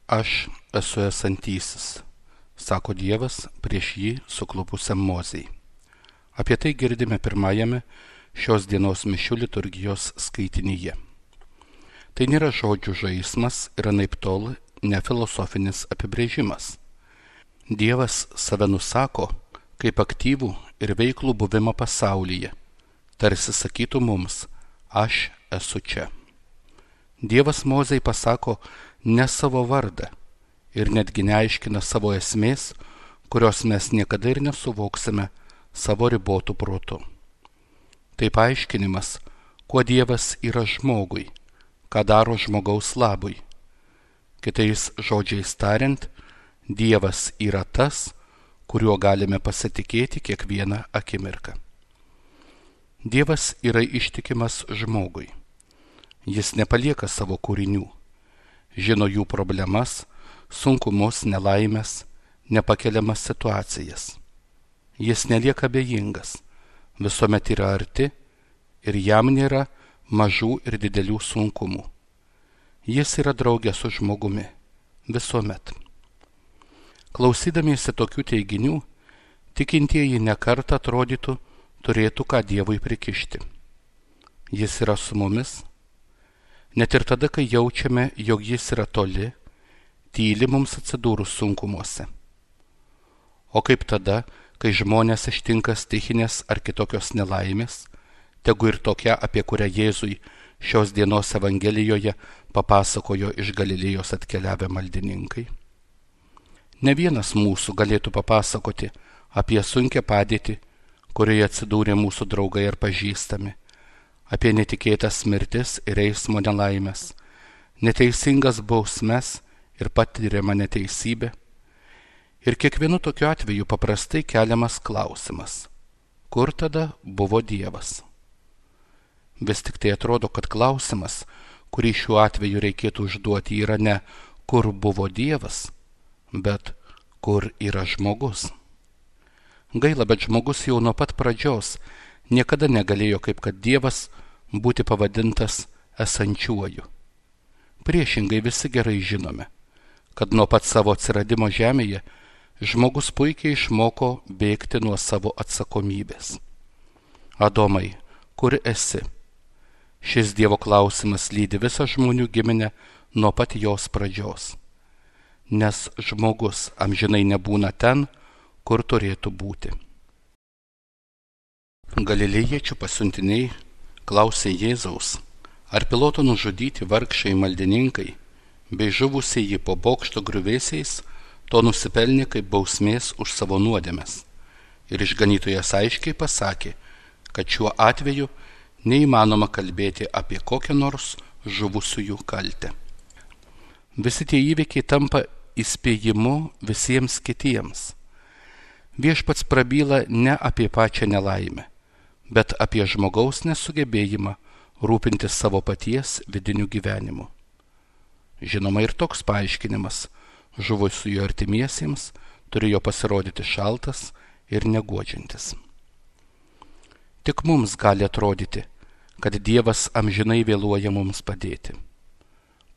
Aš esu esantysis, sako Dievas prieš jį suklupusiam Mozei. Apie tai girdime pirmajame šios dienos mišių liturgijos skaitinyje. Tai nėra žodžių žaismas ir anaiptol ne filosofinis apibrėžimas. Dievas save nusako kaip aktyvų ir veiklų buvimą pasaulyje, tarsi sakytų mums, aš esu čia. Dievas Mozei pasako ne savo vardą ir netgi neaiškina savo esmės, kurios mes niekada ir nesuvoksime savo ribotų protų. Tai paaiškinimas, kuo Dievas yra žmogui, ką daro žmogaus labui. Kitais žodžiais tariant, Dievas yra tas, kuriuo galime pasitikėti kiekvieną akimirką. Dievas yra ištikimas žmogui. Jis nepalieka savo kūrinių, žino jų problemas, sunkumus, nelaimės, nepakeliamas situacijas. Jis nelieka abejingas, visuomet yra arti ir jam nėra mažų ir didelių sunkumų. Jis yra draugė su žmogumi, visuomet. Klausydamiesi tokių teiginių, tikintieji nekartą atrodytų turėtų ką Dievui prikišti. Jis yra su mumis. Net ir tada, kai jaučiame, jog jis yra toli, tyli mums atsidūrus sunkumuose. O kaip tada, kai žmonės ištinka stichinės ar kitokios nelaimės, tegu ir tokia, apie kurią Jėzui šios dienos Evangelijoje papasakojo iš Galilėjos atkeliavę maldininkai? Ne vienas mūsų galėtų papasakoti apie sunkią padėtį, kurioje atsidūrė mūsų draugai ar pažįstami, apie netikėtas mirtis ir eismo nelaimės, neteisingas bausmes ir patiriamą neteisybę. Ir kiekvienu tokiu atveju paprastai keliamas klausimas, kur tada buvo Dievas? Vis tik tai atrodo, kad klausimas, kurį šiuo atveju reikėtų užduoti, yra ne kur buvo Dievas, bet kur yra žmogus. Gaila, bet žmogus jau nuo pat pradžios niekada negalėjo, kaip kad Dievas, būti pavadintas esančiuoju. Priešingai visi gerai žinome, kad nuo pat savo atsiradimo žemėje žmogus puikiai išmoko bėgti nuo savo atsakomybės. Adomai, kur esi? Šis Dievo klausimas lydi visą žmonių giminę nuo pat jos pradžios. Nes žmogus amžinai nebūna ten, kur turėtų būti. Galilėjiečių pasiuntiniai klausė Jėzaus, ar Piloto nužudyti vargšai maldininkai bei žuvusieji po bokšto griuvėsiais to nusipelnė kaip bausmės už savo nuodėmes. Ir išganytojas aiškiai pasakė, kad šiuo atveju neįmanoma kalbėti apie kokią nors žuvusiųjų kaltę. Visi tie įvykiai tampa įspėjimu visiems kitiems. Viešpats prabyla ne apie pačią nelaimę, bet apie žmogaus nesugebėjimą rūpintis savo paties vidiniu gyvenimu. Žinoma, ir toks paaiškinimas žuvusiųjų artimiesiems turėjo pasirodyti šaltas ir neguodžiantis. Tik mums gali atrodyti, kad Dievas amžinai vėluoja mums padėti.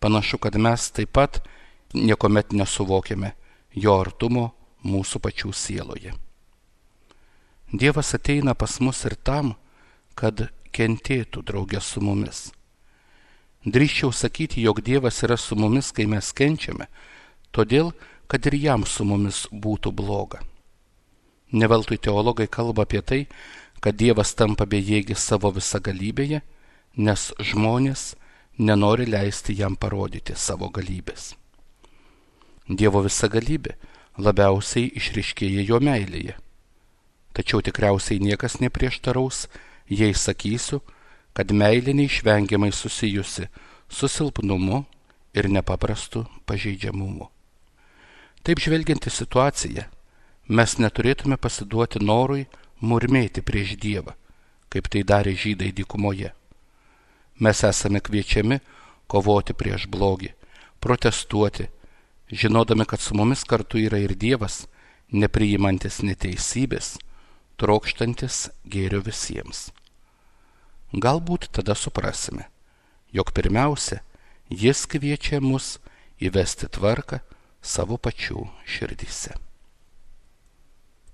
Panašu, kad mes taip pat niekuomet nesuvokiame jo artumo mūsų pačių sieloje. Dievas ateina pas mus ir tam, kad kentėtų draugė su mumis. Drįsčiau sakyti, jog Dievas yra su mumis, kai mes kenčiame, todėl, kad ir jam su mumis būtų bloga. Ne veltui teologai kalba apie tai, kad Dievas tampa bejėgis savo visagalybėje, nes žmonės nenori leisti jam parodyti savo galybės. Dievo visagalybė labiausiai išryškėja jo meilėje. Tačiau tikriausiai niekas neprieštaraus, jei sakysiu, kad meilė neišvengiamai susijusi su silpnumu ir nepaprastu pažeidžiamumu. Taip žvelgiant į situaciją, mes neturėtume pasiduoti norui murmėti prieš Dievą, kaip tai darė žydai dykumoje. Mes esame kviečiami kovoti prieš blogį, protestuoti, žinodami, kad su mumis kartu yra ir Dievas, nepriimantis neteisybės, trokštantis gėrio visiems. Galbūt tada suprasime, jog pirmiausia, jis kviečia mus įvesti tvarką savo pačių širdyse.